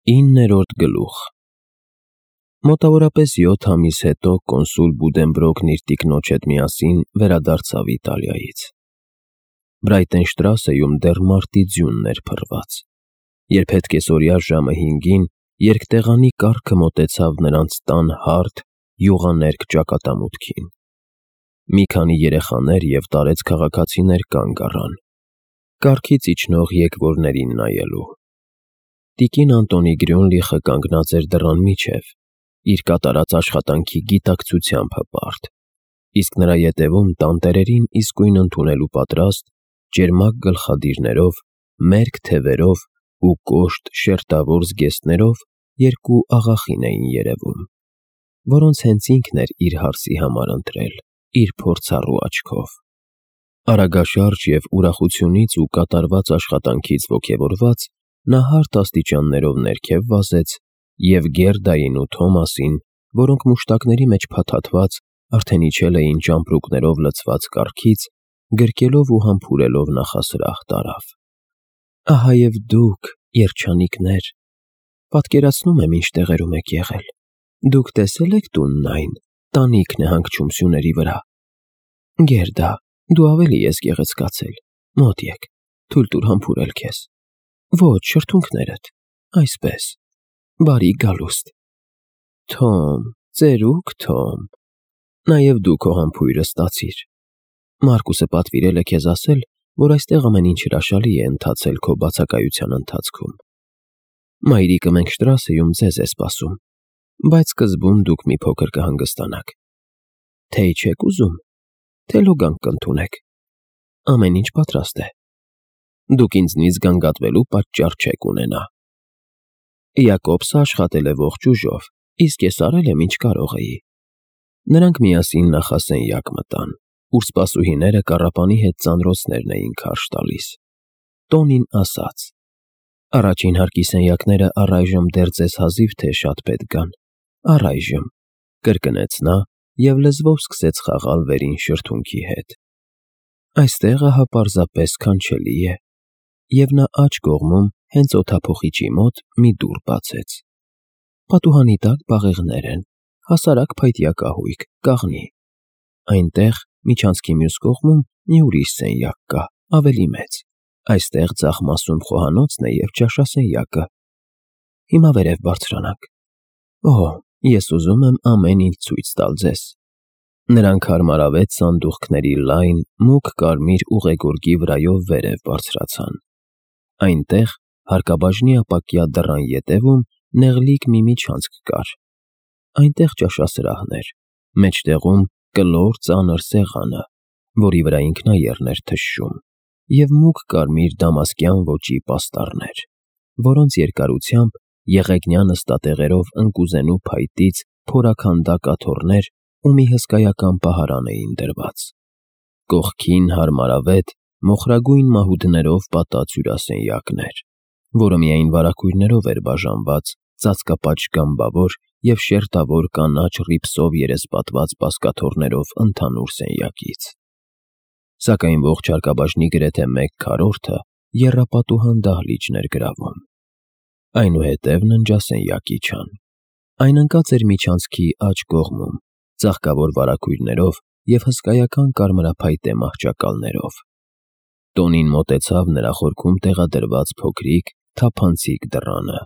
9-րդ գլուխ Մոտավորապես 7 ամիս հետո կոնսուլ Բուդենբրոկն իր տիկնոջ հետ միասին վերադարձավ Իտալիայից։ Բրայտենշտրասեում դեռ մարտի ձյունն էր փռված, երբ հետկեսօրյա ժամը 5-ին երկտեղանի կառքը մոտեցավ նրանց տան հարթ, յուղաներկ ճակատամուտքին։ Մի քանի երեխաներ և տարեց քաղաքացիներ կանգ առան, կառքից իջնող եկվորներին նայելու։ Տիկին Անտոնի Գրյունլիխը կանգնած էր դռան միջև, իր կատարած աշխատանքի գիտակցությամբ հպարտ, իսկ նրա ետևում տանտերերին իսկույն ընդունելու պատրաստ, ճերմակ գլխադիրներով, մերկ թևերով ու կոշտ շերտավոր զգեստներով երկու աղախին էին երևում, որոնց հենց ինքն էր իր հարսի համար ընտրել, իր փորձառու աչքով։ Արագաշարժ և ուրախությունից ու կատարված աշխատանքից ոգևորված, նա հարթ աստիճաններով ներքև վազեց և Գերդային ու Թոմասին, որոնք մուշտակների մեջ փաթաթված, արդեն իջել էին ճամպրուկներով լցված կառքից, գրկելով ու համբուրելով նախասրահ տարավ։ «Ահա և դուք, երջանիկներ, պատկերացնում եմ ինչ տեղերում եք եղել, դուք տեսե՞լ եք տունն այն, տանիքն է հանգչում սյուների վրա։ Գերդա, դու ավելի ես գեղեցկացել, մոտ եկ, թույլ տուր համբուրել քեզ։ Ոչ, շրթունքներդ, այսպես, բարի գալուստ։ Թոմ, ծերուկ Թոմ, նաև դու քո համբույրը ստացիր։ Մարկուսը պատվիրել է քեզ ասել, որ այստեղ ամեն ինչ հրաշալի է ընթացել քո բացակայության ընթացքում։ Մայրիկը մենք Շտրասեում ձեզ է սպասում, բայց սկզբում դուք մի փոքր կհանգստանաք։ Թեյ չեք ուզում, թե լոգանք կընդունեք։ Ամեն ինչ պատրաստ է։ Դուք ինձնից գանգատվելու պատճառ չեք ունենա։ Յակոբսը աշխատել է ողջ ուժով, իսկ ես արել եմ ինչ կարող էի։ Նրանք միասին նախասենյակ մտան, ուր սպասուհիները կառապանի հետ ծանրոցներն էին քարշ տալիս։ Տոնին ասաց. «Առաջին հարկի սենյակները առայժմ դեռ ձեզ հազիվ թե շատ պետք գան, առայժմ», կրկնեց նա և լեզվով սկսեց խաղալ վերին շրթունքի հետ։ Այստեղ ահա պարզապես քանչելի է։ Եվ նա աջ կողմում, հենց օդափոխիչի մոտ, մի դուռ բացեց։ Պատուհանի տակ բաղեղներ են, հասարակ փայտյա կահույք, կաղնի։ Այնտեղ, միջանցքի մյուս կողմում, մի ուրիշ սենյակ կա, ավելի մեծ։ Այստեղ ձախ մասում խոհանոցն է և ճաշասենյակը։ Հիմա վերև բարձրանանք։ Օհ, ես ուզում եմ ամեն ինչ ցույց տալ ձեզ։ Նրանք հարմարավետ սանդուղքների լայն, մուգ կարմիր ուղեգորգի վրայով վերև բարձրացան։ Այնտեղ, հարկաբաժնի ապակյա դռան ետևում, նեղլիկ մի միջանցք կար։ Այնտեղ ճաշասրահն էր, մեջտեղում կլոր ծանր սեղանը, որի վրա ինքնաեռն էր թշում, և մուգ կարմիր դամասկյան ոճի պաստառներ, որոնց երկարությամբ եղեգնյա նստատեղերով ընկուզենու փայտից փորաքանդակ աթոռներ ու մի հսկայական պահարան էին դրված։ Կողքին հարմարավետ, մոխրագույն մահուդներով պատած հյուրասենյակներ, որը միայն վարագույրներով էր բաժանված ծածկապատ գամբավոր և շերտավոր կանաչ ռիպսով երեսպատված բազկաթոռներով ընդհանուր սենյակից։ Սակայն ողջ հարկաբաժնի գրեթե 1/4-ը եռապատուհան դահլիճն էր գրավում։ Այնուհետև ննջասենյակ իջան։ Այն ընկած էր միջանցքի աջ կողմում, ծաղկավոր վարագույրներով և հսկայական կարմրափայտե մահճակալներով։ Տոնին մոտեցավ նրա խորքում տեղադրված փոքրիկ, թափանցիկ դռանը,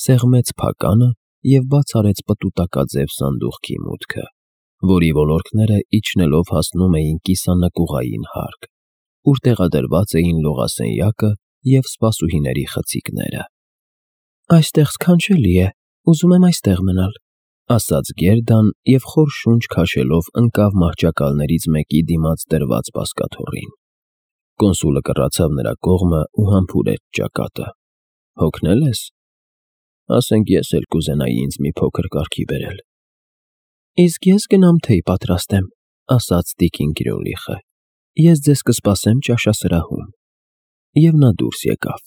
սեղմեց փականը և բաց արեց պտուտակաձև սանդուղքի մուտքը, որի ոլորքները իջնելով հասնում էին կիսանկյունային հարկ, ուր տեղադրված էին լողասենյակը և սպասուհիների խցիկները։ «Այստեղ սքանչելի է, ուզում եմ այստեղ մնալ», ասաց Գերդան և խոր շունչ քաշելով ընկավ մահճակալներից մեկի դիմաց դրված բազկաթոռին։ Կոնսուլը կռացավ նրա կողմը ու համբուրեց ճակատը։ Հոգնել ես։ Ասենք ես էլ կուզենայի ինձ մի փոքր կարգի բերել։ Իսկ ես գնամ թեյ պատրաստեմ, ասաց տիկին Գրյունլիխը։ Ես ձեզ կսպասեմ ճաշասրահում։ Եվ նա դուրս եկավ։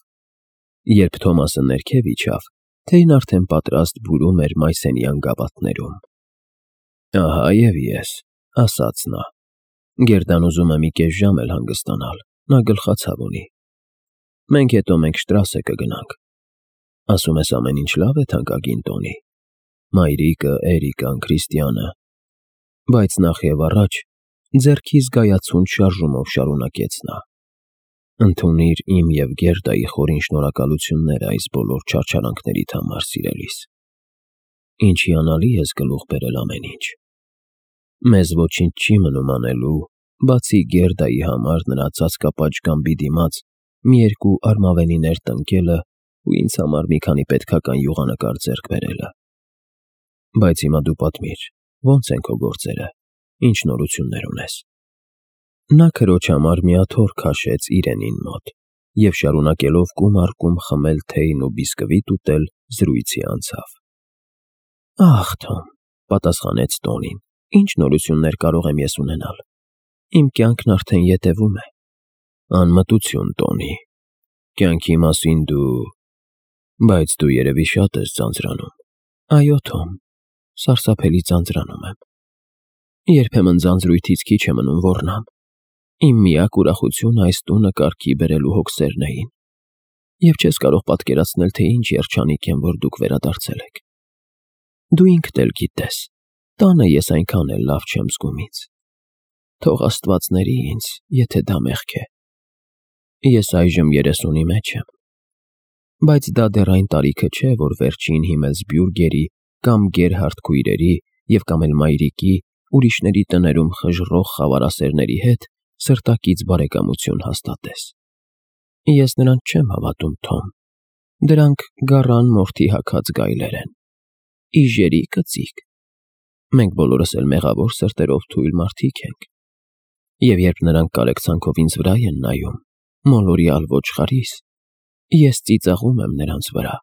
Երբ Թոմասը ներքև իջավ, թեյն արդեն պատրաստ բուրում էր մայսենյան գավաթներում։ Ահա և ես, ասաց նա։ Գերդան ուզում է մի կես ժամ էլ հանգստանալ, նա գլխացավ ունի։ Մենք հետո Շտրասե կգնանք։ Ասում ես ամեն ինչ լավ է թանկագին Տոնի, մայրիկը, Էրիկան, Քրիստիանը, բայց նախ եւ առաջ ձեռքի զգայացուն շարժումով շարունակեց նա. ընդունիր իմ եւ Գերդայի խորին շնորհակալությունները այս բոլոր չարչարանքներիդ համար, սիրելիս։ Ինչ հիանալի ես գլուխ բերել ամեն ինչ։ Մեզ ոչինչ չի մնում անելու, բացի Գերդայի համար նրա ծածկապաճ գամբի դիմաց մի երկու արմավենիներ տնկելը ու ինձ համար մի քանի պետքական յուղանկար ձեռք բերելը։ Բայց հիմա դու պատմիր, ո՞նց են քո գործերը, ինչ նորություններ ունես։ Նա քրոջ համար մի աթոռ քաշեց իրենին մոտ եւ շարունակելով կում առ կում խմել թեյն ու բիսկվիտ ուտել, զրույցի անցավ։ Ախ, Թոմ, պատասխանեց Տոնին, ինչ նորություններ կարող եմ ես ունենալ։ Իմ կյանքն արդեն ետևում է։ Անմտություն, Տոնի, կյանքի մասին բայց դու երևի շատ ես ձանձրանում։ Այո, Թոմ, սարսափելի ձանձրանում եմ։ Երբեմն ձանձրույթից քիչ է մնում ոռնամ։ Իմ միակ ուրախությունը այս տունը կարգի բերելու հոգսերն էին։ Եվ չես կարող պատկերացնել, թե ինչ երջանիկ եմ, որ դուք վերադարձել եք։ Դու ինքդ էլ գիտես, տանը ես այնքան էլ լավ չեմ զգում ինձ։ Թող Աստված ների ինձ, եթե դա մեղք է։ Ես այժմ 30-ի մեջ եմ։ Բայց դա դեռ այն տարիքը չէ, որ վերջին Հիմելսբյուրգերի կամ Գերհարդ քույրերի եւ կամ էլ մայրիկի ուրիշների տներում խժռող խավարասերների հետ սրտակից բարեկամություն հաստատես։ Ես նրանց չեմ հավատում, Թոմ։ Դրանք գառան մորթի հագած գայլեր են։ Իժերի կծիկ։ Մենք բոլորս էլ մեղավոր սրտերով թույլ մարդիկ ենք։ Եվ երբ նրանք կարեկցանքով ինձ վրա են նայում, մոլորյալ ոչխարիս, ես ծիծաղում եմ նրանց վրա։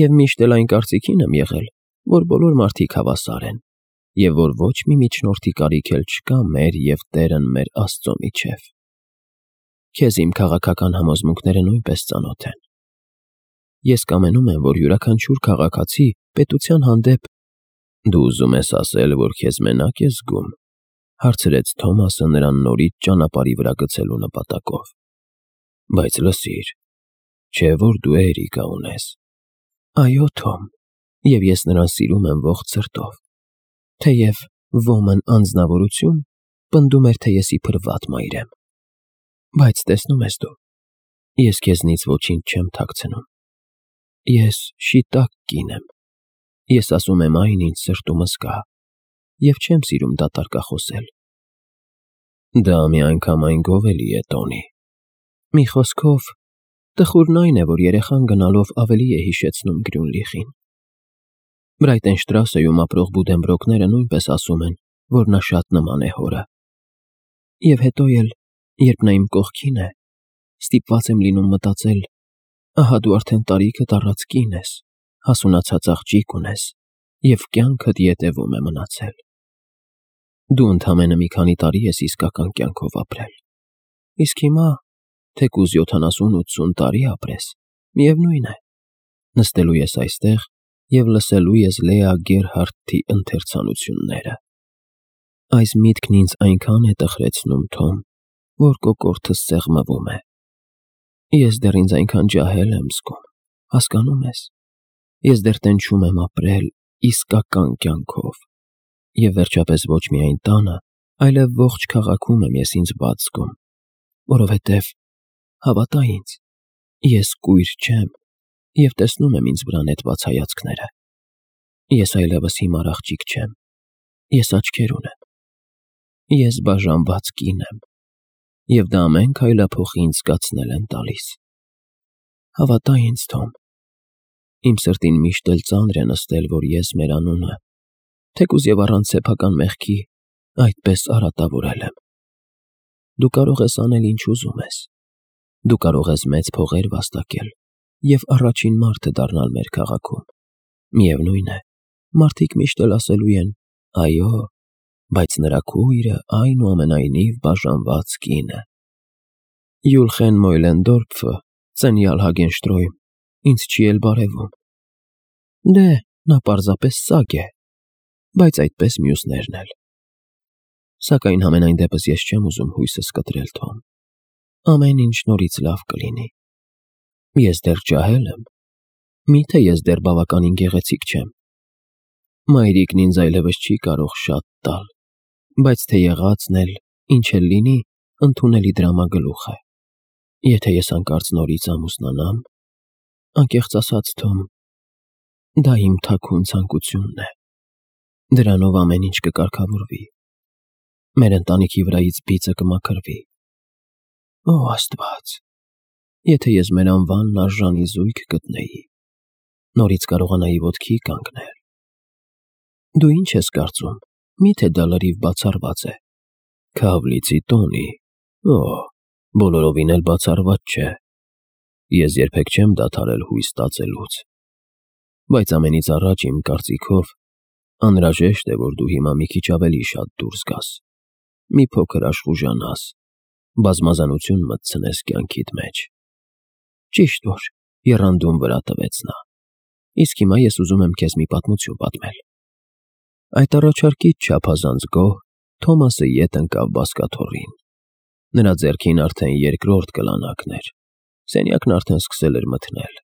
Եվ միշտ էլ այն կարծիքին եմ եղել, որ բոլոր մարդիկ հավասար են, եւ որ ոչ մի միջնորդի կարիք էլ չկա մեր եւ Տերն մեր Աստծո միջև։ Քեզ իմ քաղաքական համոզմունքները նույնպես ծանոթ են։ Ես կամենում եմ, որ յուրաքանչյուր քաղաքացի պետության հանդեպ… Դու ուզում ես ասել, որ քեզ մենակ ես զգում, հարցրեց Թոմասը նրան նորից ճանապարհի վրա գցելու նպատակով։ Բայց լսիր, չէ՞ որ դու Էրիկա ունես։ Այո, Թոմ, եւ ես նրան սիրում եմ ողջ սրտով։ Թեև ոմն անձնավորություն պնդում էր, թե ես իբր վատ մայր եմ։ Բայց տեսնում ես դու, ես քեզնից ոչինչ չեմ թաքցնում։ Ես շիտակ կին եմ։ Ես ասում եմ այն, ինչ սրտումս կա, եւ չեմ սիրում դատարկախոսել։ Դա միանգամայն գովելի է, Տոնի։ Մի խոսքով, տխուրն այն է, որ երեխան գնալով ավելի է հիշեցնում Գրյունլիխին։ Բրայտենշտրասեում ապրող բուդենբրոկները նույնպես ասում են, որ նա շատ նման է հորը։ Եվ հետո էլ, երբ նա իմ կողքին է, ստիպված եմ լինում մտածել, ահա դու արդեն տարիքդ առած կին ես, հասունացած աղջիկ ունես, եւ կյանքդ ետևում է մնացել։ Դու ընդամենը մի քանի տարի ես իսկական կյանքով ապրել։ Իսկ հիմա, թեկուզ 70-80 տարի ապրես, միևնույն է, նստելու ես այստեղ եւ լսելու ես Լեա Գերհարդի ընթերցանությունները։ Այս միտքն ինձ այնքան է տխրեցնում, Թոմ, որ կոկորդս սեղմվում է։ Ես դեռ ինձ այնքան ջահել եմ զգում, հասկանում ես։ Ես դեռ տենչում եմ ապրել իսկական կյանքով։ Եվ վերջապես ոչ միայն տանը, այլև ողջ քաղաքում եմ ես ինձ բաց զգում, որովհետև, հավատա ինձ, ես կույր չեմ և տեսնում եմ ինձ վրա նետված հայացքները։ Ես այլևս հիմար աղջիկ չեմ, ես աչքեր ունեմ։ Ես բաժանված կին եմ, և դա ամեն քայլափոխի ինձ զգացնել են տալիս։ Հավատա ինձ, Թոմ, իմ սրտին միշտ էլ ծանր է նստել, որ ես մեր անունը, թեկուզ և առանց սեփական մեղքի, այդպես արատավորել եմ։ Դու կարող ես անել ինչ ուզում ես։ Դու կարող ես մեծ փողեր վաստակել և առաջին մարդը դառնալ մեր քաղաքում։ Միևնույն է, մարդիկ միշտ էլ ասելու են. այո, բայց նրա քույրը այնուամենայնիվ բաժանված կին է։ Յուլխեն Մոյլենդորֆը, Ծենյալ Հագենշտրոյմ, ինձ չի էլ բարևում։ Դե, նա պարզապես սագ է, բայց այդպես մյուսներն էլ։ Սակայն համենայն դեպս ես չեմ ուզում հույսս կտրել, Թոմ։ Ամեն ինչ նորից լավ կլինի։ Ես դեռ ջահել եմ, Միթե ես դեռ բավականին գեղեցիկ չեմ։ Մայրիկն ինձ այլևս չի կարող շատ տալ, բայց թե եղածն էլ, ինչ էլ լինի, ընդունելի դրամագլուխ է։ Եթե ես հանկարծ նորից ամուսնանամ, անկեղծ ասած, Թոմ, դա իմ թաքուն ցանկությունն է։ Դրանով ամեն ինչ կկարգավորվի։ Մեր ընտանիքի վրայից բիծը կմաքրվի։ Օ, Աստված, եթե ես մեր անվանն արժանի զույգ գտնեի, նորից կարողանայի ոտքի կանգնել։ Դու ինչ ես կարծում, միթե դա լրիվ բացառված է։ Քավլիցի Տոնի, օ, բոլորովին էլ բացառված չէ։ Ես երբեք չեմ դադարել հույս ստացելուց։ Բայց ամենից առաջ իմ կարծիքով անհրաժեշտ է, որ դու հիմա մի քիչ ավելի շատ դուրս գաս, մի փոքր աշխուժանաս, բազմազանություն մտցնես կյանքիդ մեջ։ Ճիշտ որ, եռանդուն վրա տվեց նա։ Իսկ հիմա ես ուզում եմ քեզ մի պատմություն պատմել։ Այդ առաջարկից չափազանց գոհ Թոմասը ետ ընկավ բազկաթոռին։ Նրա ձեռքին արդեն երկրորդ կլանակն էր։ Սենյակն արդեն սկսել էր մթնել։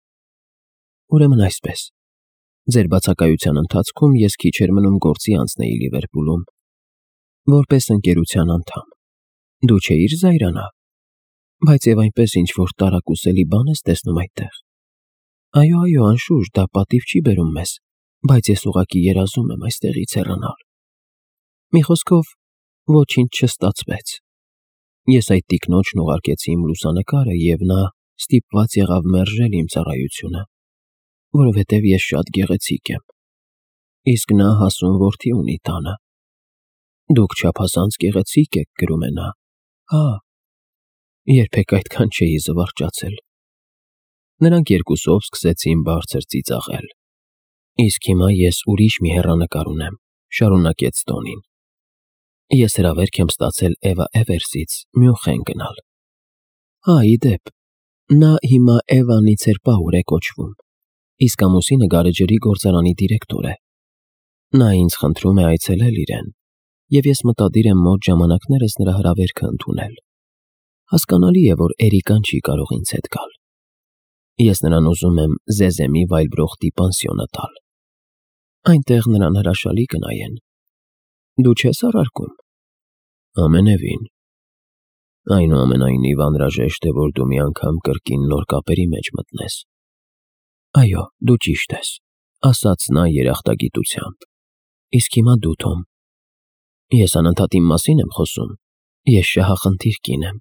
Ուրեմն այսպես, ձեր բացակայության ընթացքում ես քիչ էր մնում գործի անցնեի Լիվերպուլում, որպես ընկերության անդամ։ Դու չէիր զայրանա, բայց եւ այնպես ինչ-որ տարակուսելի բան ես տեսնում այդտեղ։ Այո, անշուշտ, դա պատիվ չի բերում մեզ, բայց ես ուղղակի երազում եմ այստեղից հեռանալ։ Մի խոսքով, ոչինչ չստացվեց։ Ես այդ տիկնոջն ուղարկեցի իմ լուսանկարը եւ նա ստիպված եղավ մերժել իմ ծառայությունը, որովհետև ես շատ գեղեցիկ եմ։ Իսկ նա հասուն որդի ունի տանը։ Դուք չափազանց գեղեցիկ եք, գրում է նա։ Հա, երբեք այդքան չէի զվարճացել։ Նրանք երկուսով սկսեցին բարձր ծիծաղել։ Իսկ հիմա ես ուրիշ մի հեռանկար ունեմ, շարունակեց Տոնին։ Ես հրավերք եմ ստացել Էվա Էվերսից Մյունխեն գնալ։ Հա, ի դեպ, նա հիմա Էվա Նիցերպաուր է կոչվում, իսկ ամուսինը գարեջրի գործարանի դիրեկտոր է։ Նա ինձ խնդրում է այցելել իրեն, եւ ես մտադիր եմ մոտ ժամանակներս նրա հրավերքը ընդունել։ Հասկանալի է, որ Էրիկան չի կարող ինձ հետ գալ։ Ես նրան ուզում եմ Զեզեմի Վայլբրոխտի պանսիոնը տալ։ Այնտեղ նրան հրաշալի կնայեն։ Դու չես առարկում։ Ամենևին։ Այնուամենայնիվ անհրաժեշտ է, որ դու մի անգամ կրկին նոր կապերի մեջ մտնես։ Այո, դու ճիշտ ես, ասաց նա երախտագիտությամբ։ Իսկ հիմա դու, Թոմ։ Ես անընդհատ իմ մասին եմ խոսում։ Ես շահախնդիր կին եմ։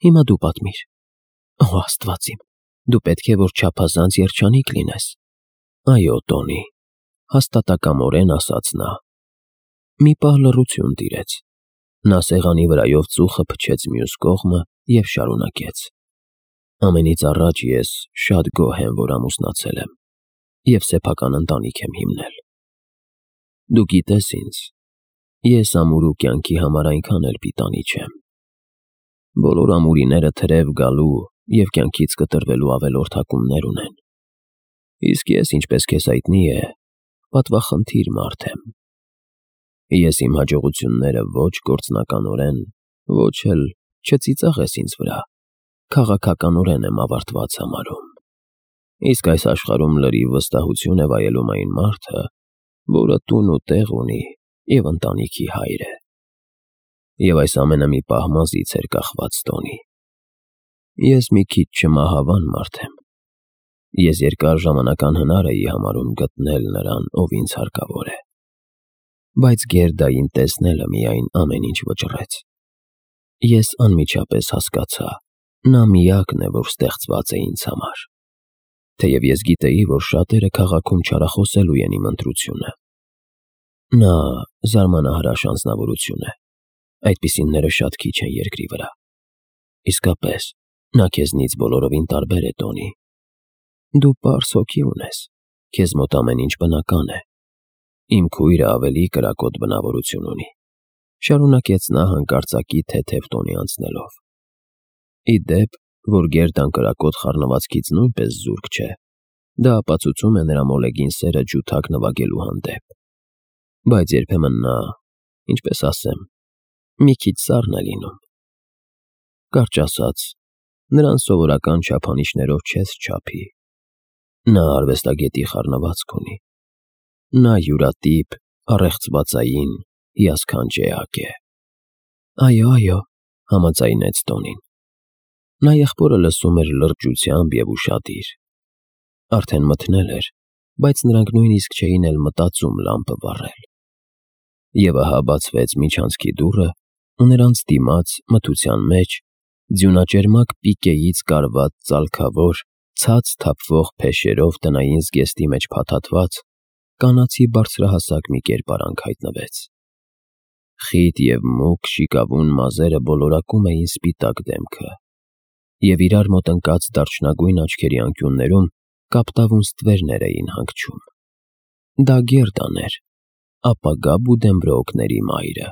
Հիմա դու պատմիր։ Օ, Աստված իմ, դու պետք է որ չափազանց երջանիկ լինես։ Այո, Տոնի, հաստատակամորեն ասաց նա։ Մի պահ լռություն տիրեց։ Նա սեղանի վրայով ծուխը փչեց մյուս կողմը եւ շարունակեց. Ամենից առաջ ես շատ գոհ եմ, որ ամուսնացել եմ եւ սեփական ընտանիք եմ հիմնել։ Դու գիտես ինձ, ես ամուրու կյանքի համար այնքան էլ պիտանի չեմ։ Բոլոր ամուրիները թրև գալու եւ կյանքից կտրվելու ավելորդակումներ ունեն։ Իսկ ես, ինչպես քեզ հայտնի է, պատվախնդիր մարդ եմ։ Ես իմ հաջողությունները ոչ գործնականորեն, ոչ էլ չծիծաղես ինձ վրա, քաղաքականորեն եմ ավարտված համարում։ Իսկ այս աշխարհում լրիվ վստահություն է վայելում այն մարդը, որը տուն ու տեղ ունի եւ ընտանիքի հայր է։ Եվ այս ամենը մի պահ մազից էր կախված, Տոնի։ Ես մի քիչ չմահավան մարդ եմ։ Ես երկար ժամանակ անհնար էի համարում գտնել նրան, ով ինձ հարկավոր է։ Բայց Գերդային տեսնելը միայն ամեն ինչ վճռեց։ Ես անմիջապես հասկացա, նա միակն է, որ ստեղծված է ինձ համար։ Թեև ես գիտեի, որ շատերը քաղաքում չարախոսելու են իմ ընտրությունը։ Նա զարմանահրաշ անձնավորություն է։ Այդպիսինները շատ քիչ են երկրի վրա։ Իսկապես, նա քեզնից բոլորովին տարբեր է, Տոնի։ Դու պարզ հոգի ունես, քեզ մոտ ամեն ինչ բնական է։ Իմ քույրը ավելի կրակոտ բնավորություն ունի, շարունակեց նա հանկարծակի թեթև տոնի անցնելով։ Ի դեպ, որ Գերդան կրակոտ խառնվածքից նույնպես զուրկ չէ, դա ապացուցում է նրա մոլեգին սերը ջութակ նվագելու հանդեպ։ Բայց երբեմն նա, ինչպես ասեմ, մի քիչ սառն է լինում։ Կարճ ասած, նրան սովորական չափանիշներով չես չափի։ Նա արվեստագետի խառնվածք ունի։ Նա յուրատիպ, առեղծվածային, հիասքանչ էակ է։ Այո, համաձայնեց Տոնին։ Նա եղբորը լսում էր լրջությամբ և ուշադիր։ Արդեն մթնել էր, բայց նրանք նույնիսկ չէին էլ մտածում լամպը վառել։ Եվ ահա բացվեց միջանցքի դուռը, ու նրանց դիմաց, մթության մեջ, ձյունաճերմակ պիկեից կարված ծալքավոր, ցած թափվող փեշերով տնային զգեստի մեջ փաթաթված, կանացի բարձրահասակ մի կերպարանք հայտնվեց։ Խիտ և մուգ շիկավուն մազերը բոլորակում էին սպիտակ դեմքը, և իրար մոտ ընկած դարչնագույն աչքերի անկյուններում կապտավուն ստվերներ էին հանգչում։ Դա Գերդան էր, ապագա Բուդենբրոուքների մայրը։